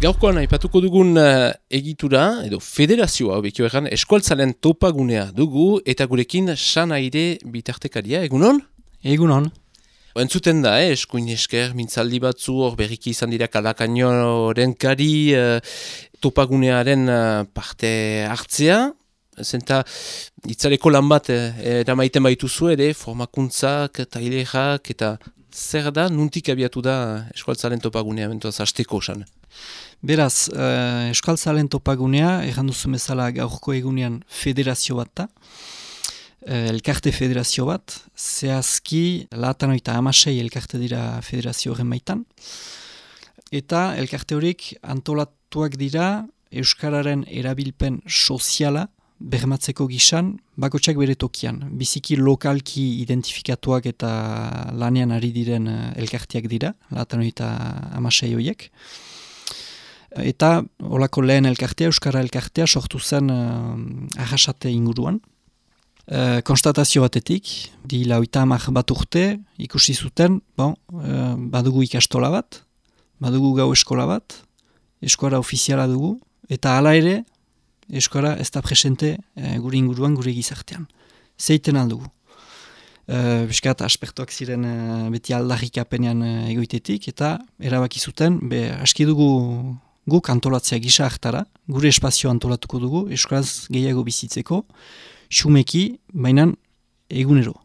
Gaurkoan aipatuko dugun egitura, edo federazioa, bekio egan, eskualtzaren topagunea dugu, eta gurekin Sanaire bitartekaria, egunon? Egunon. Entzuten da, eskuin esker, mintzaldi batzu, hor berriki izan dira Kalakainoren kari topagunearen parte hartzea, zenta itzaleko lan bat eramaiten baituzu ere, formakuntzak, tailerak, eta zer da, nuntik abiatu da eskualtzaren topagunea, bentuaz, hasteko osan? Beraz, Euskaltzalen topagunea, erran duzu bezala gaurko egunean federazio bat da, elkarte federazio bat, zehazki 96 elkarte dira federazio horren baitan, eta elkarte horiek antolatuak dira Euskararen erabilpen soziala bermatzeko gisan, bakotsak bere tokian, biziki lokalki identifikatuak eta lanean ari diren elkarteak dira, 96 horiek. Eta olako lehen elkartea, Euskara elkartea, sortu zen arrasate inguruan. Konstatazio batetik, di 30 bat urte, ikusi zuten, badugu ikastola bat, badugu gau eskola bat, Euskara ofiziala dugu, eta hala ere, Euskara ez da presente gure inguruan, gure gizartean. Zeiten aldugu. Biskat, aspertuak ziren beti aldarrikapenean egoitetik, eta erabaki zuten, aski dugu guk antolatzea gisa hartara, gure espazio antolatuko dugu, euskaraz gehiago bizitzeko, xumeki, bainan egunero.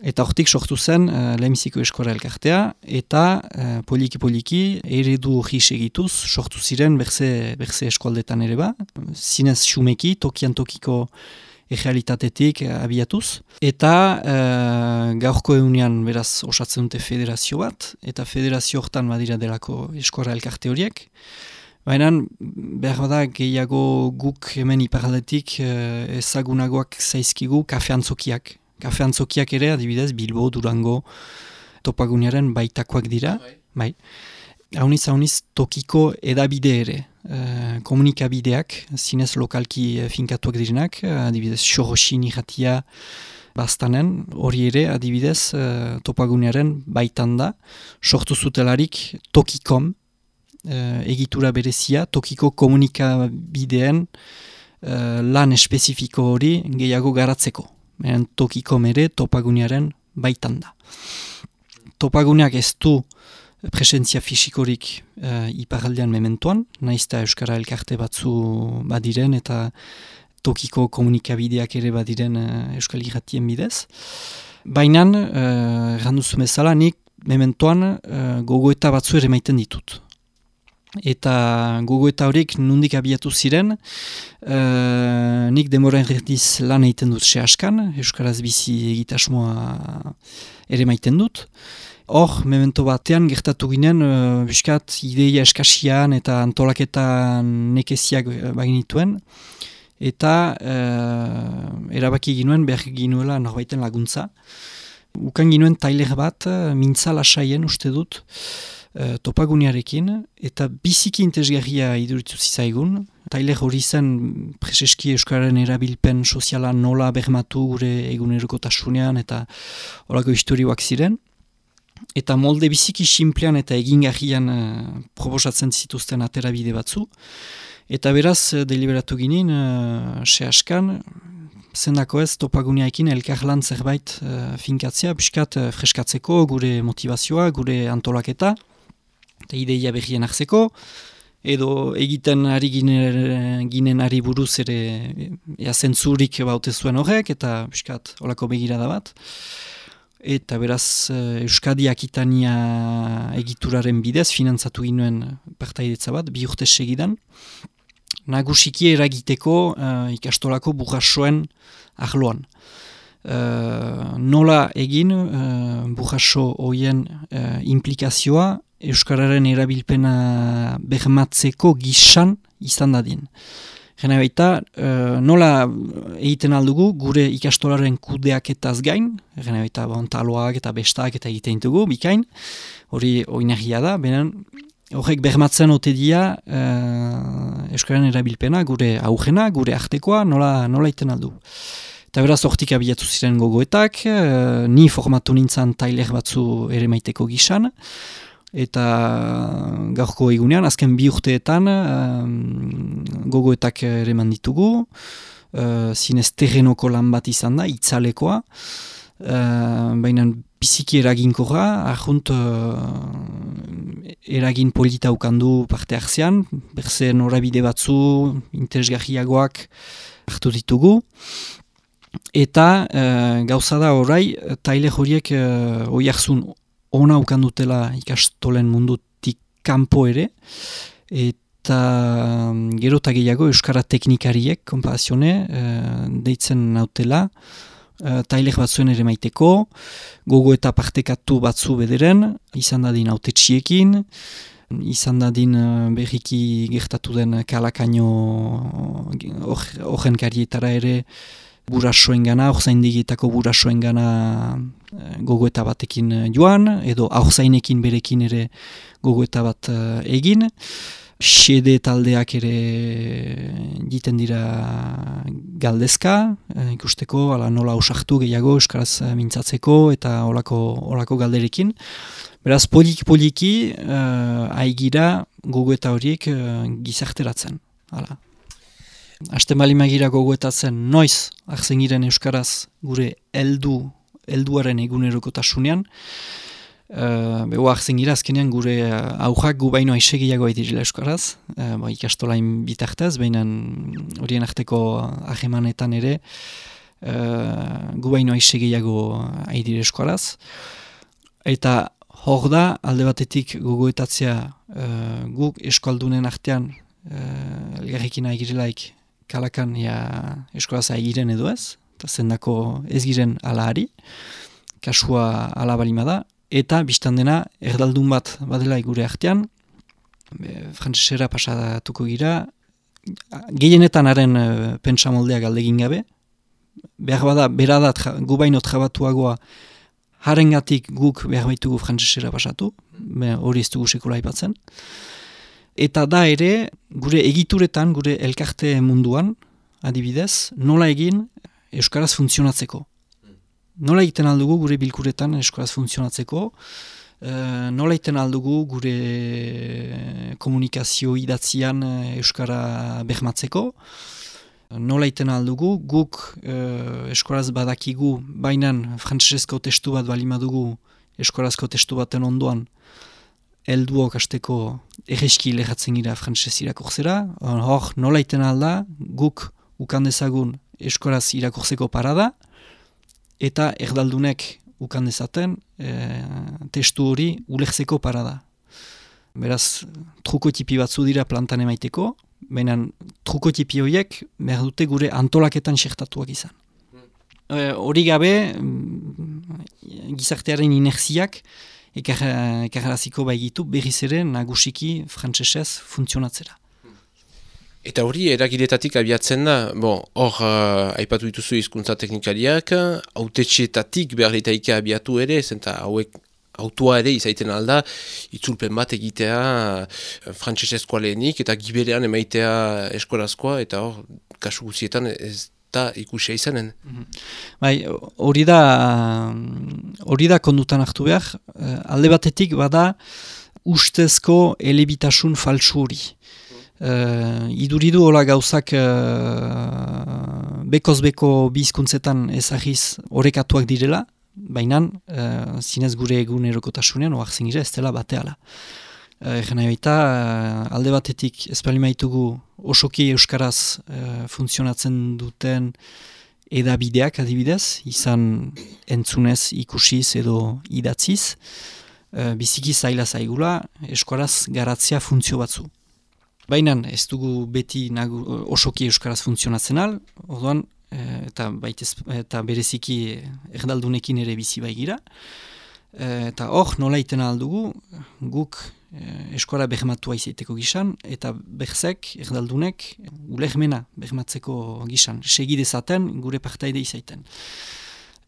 Eta hortik sortu zen lehenbiziko Euskara elkartea, eta poliki-poliki eredu hori segituz, sortu ziren berze eskualdetan ere ba, zinez xumeki, tokian tokiko errealitatetik abiatuz. Eta gaurko egunean beraz osatzen dute federazio bat, eta federazio hortan badira delako Euskara elkarte horiek. Baina behar bada gehiago guk hemen iparaldetik ezagunagoak zaizkigu kafe antzokiak. Kafe antzokiak ere adibidez Bilbo, Durango, topagunearen baitakoak dira. Bai. Hauniz tokiko edabide ere. Komunikabideak, zinez lokalki finkatuak direnak, adibidez Xoroxin irratia bastanen, hori ere adibidez topagunearen baitan da, sortu zutelarik tokikom, egitura berezia, tokiko komunikabideen lan espezifiko hori gehiago garatzeko. Tokikom ere topagunearen baitan da. Topaguneak ez du presentzia fisikorik iparaldean mementoan, naizta Euskara elkarte batzu badiren eta tokiko komunikabideak ere badiren Euskal Irratien bidez. Baina, erranduzu bezala, nik mementoan gogoeta batzu ere maiten ditut. Eta gogoeta horiek nondik abiatu ziren, nik denbora erdiz lan egiten dut sehaskan, Euskaraz bizi egitasmoa ere maiten dut. Hor, memento batean gertatu ginen, biskat ideia eskasian eta antolaketan nekeziak baginituen, eta erabaki ginuen, behar ginuela norbaiten laguntza. Ukan ginuen tailer bat, mintza lasaien uste dut, topagunearekin, eta biziki interesgarria iduritu zizaigun. Tailer hori zen preseski Euskararen erabilpen soziala nola bermatu gure egunerokotasunean eta horako historioak ziren. Eta molde biziki sinplean eta egingarrian proposatzen zituzten aterabide batzu. Eta beraz, deliberatu ginen, sehaskan, zendako ez topaguneaekin elkarlan zerbait finkatzea, biskat freskatzeko gure motivazioa, gure antolaketa, eta ideia berrien hartzeko, edo egiten ari ginen ari buruz ere zentzurik baute zuen horrek, eta biskat olako begirada bat. Eta beraz Euskadi Akitania egituraren bidez finantzatu ginuen partaidetza bat, 2 urte segidan. Nagusiki eragiteko ikastolako burrasoen arloan. Nola egin burraso horien implikazioa Euskararen erabilpena bermatzeko gisan izan dadin. Gena baita, nola egiten aldugu gure ikastolaren kudeaketaz gain, gena baita taloak eta bestak eta egiten dugu, bikain, hori oinarria da, benen horrek bermatzen ote dia Euskararen erabilpena, gure aurrena, gure artekoa, nola egiten aldugu. Eta beraz, hortik abiatu ziren gogoetak, ni formatu nintzen tailer batzu ere maiteko gisan, eta gaurko egunean, azken 2 urteetan gogoetak ere manditugu, zinez terrenoko lan bat izan da, itzalekoa, baina biziki eraginkorra, arjunt eragin polita ukandu parte hartzean, berze norabide batzu, interesgarriagoak hartu ditugu, eta gauza da orai, taile horiek oiarzun ona ukandutela ikastolen mundutik kanpo ere, eta gero eta gehiago euskara teknikariek, konparazione, deitzen nautela, tailer batzuen ere maiteko, gogo eta partekatu batzu bederen, izan dadin autetxiekin, izan dadin berriki gertatu den kalakaino horren karietara ere burasoen gana, orzaindigitako burasoen gana gogoeta batekin joan, edo aurtzainekin berekin ere gogoeta bat egin. Xede taldeak ere egiten dira galdezka, ikusteko nola osartu gehiago euskaraz mintzatzeko eta olako galderekin. Beraz, poliki aigira gogoeta horiek gizarteratzen. Hasten bali magira gogoetatzen noiz hartzen giren euskaraz gure helduaren egunerokotasunean, beho hartzen gira azkenean gure aujak gu baino aisegiago aidirila euskaraz, ikastolain bitartez, baina horien arteko ahemanetan ere gu baino aisegiago aidire euskaraz. Eta hor da, alde batetik gogoetatzea guk eskualdunen artean elgarrekin aigirelaik kalakan euskaraz aigiren edo ez, eta zendako ez giren alahari, kasua alabalima da, eta biztan dena erdaldun bat badela gure artean, frantsesera pasatuko gira, gehienetan haren pentsamoldea galdegin gabe, behar bada, beradat gu baino trabatuagoa, harengatik guk behar baitugu frantsesera pasatu, hori ez dugu sekula aipatzen, eta da ere, gure egituretan, gure elkarte munduan, adibidez, nola egin euskaraz funtzionatzeko. Nola egiten aldugu gure bilkuretan euskaraz funtzionatzeko, nola egiten aldugu gure komunikazio idatzian euskara behmatzeko, nola egiten aldugu guk euskaraz badakigu, bainan frantsesezko testu bat balimadugu euskarazko testu baten ondoan, helduok hasteko erreski lehatzen gira frantsesez irakurtzera, hor nola egiten alda guk ukandezagun euskaraz irakurtzeko parada, eta erdaldunek ukan dezaten testu hori ulertzeko parada. Beraz, trukotipi batzu dira plantan emaiteko, baina trukotipi horiek behar dute gure antolaketan xertatuak izan. Hori gabe, gizartearen inerziak ekarraziko baigitu berriz ere nagusiki frantsesez funtzionatzera. Eta hori eragiletatik abiatzen da, hor aipatu dituzu hizkuntza teknikariak, autetxeetatik behar ditaike abiatu ere, zenta hauek autua ere izaiten alda, itzulpen bat egitea frantsesezkoa lehenik, eta giberean emaitea eskorazkoa, eta hor, kasu guzietan ez da ikusia izanen. Hori da kondutan hartu behar, alde batetik bada ustezko elebitasun faltsu hori. Iduridu hola gauzak bekoz-beko bizkuntzetan ezagiz orekatuak direla, baina zinez gure egunerokotasunean oartzen gira ez dela bateala. Egen baita, alde batetik espalimaitugu osoki euskaraz funtzionatzen duten edabideak adibidez, izan entzunez, ikusiz edo idatziz, biziki zaila zaigula euskaraz garatzea funtzio batzu. Baina ez dugu beti osoki euskaraz funtzionatzen al, orduan, eta bereziki erdaldunekin ere bizi baigira. Eta hor, nola iten aldugu, guk euskara behmatua izaiteko gisan, eta berzek, erdaldunek, ulermena behmatzeko gisan, segidezaten gure partaide izaiten.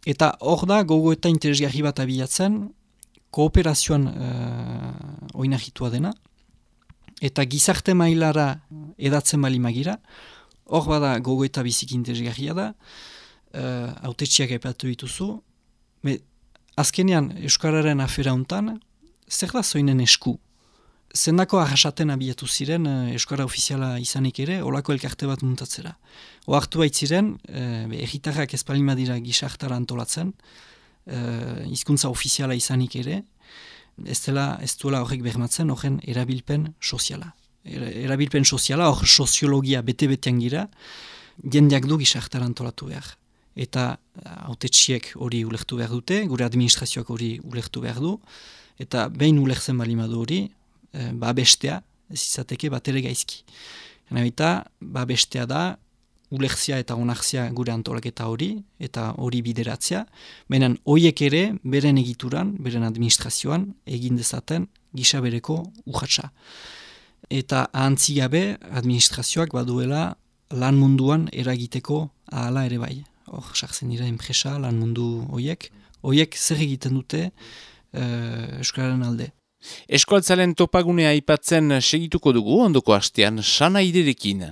Eta hor da, gogo eta interesgarri bat abiatzen, kooperazioan oinahitua dena, eta gizarte mailara edatzen bali magira, hor bada gogo eta biziki interesgarria da, hautetsiak aipatu dituzu, azkenean Euskararen afera hontan, zer da zoinen esku? Zendako arrasaten abiatu ziren Euskara ofiziala izanik ere, olako elkarte bat muntatzera. Oartu baitziren, erritarrak ez palima dira gizartara antolatzen, hizkuntza ofiziala izanik ere, ez duela horrek bermatzen horren erabilpen soziala. Erabilpen soziala, hor soziologia bete-betean gira, jendeak du gizartara antolatu behar. Eta hautetsiek hori ulertu behar dute, gure administrazioak hori ulertu behar du, eta behin ulertzen balimadu hori, babestea, ez izateke bat ere gaizki. Eta babestea da, ulertzia eta onartzia gure antolaketa hori, eta hori bideratzea, baina horiek ere, beren egituran, beren administrazioan, egin dezaten gisa bereko urratsa. Eta ahantzi gabe, administrazioak baduela lan munduan eragiteko ahala ere bai. Hor, sartzen dira enpresa, lan mundu horiek zer egiten dute Euskararen alde. Euskaltzalen topagunea aipatzen segituko dugu ondoko astean Sana Irerekin.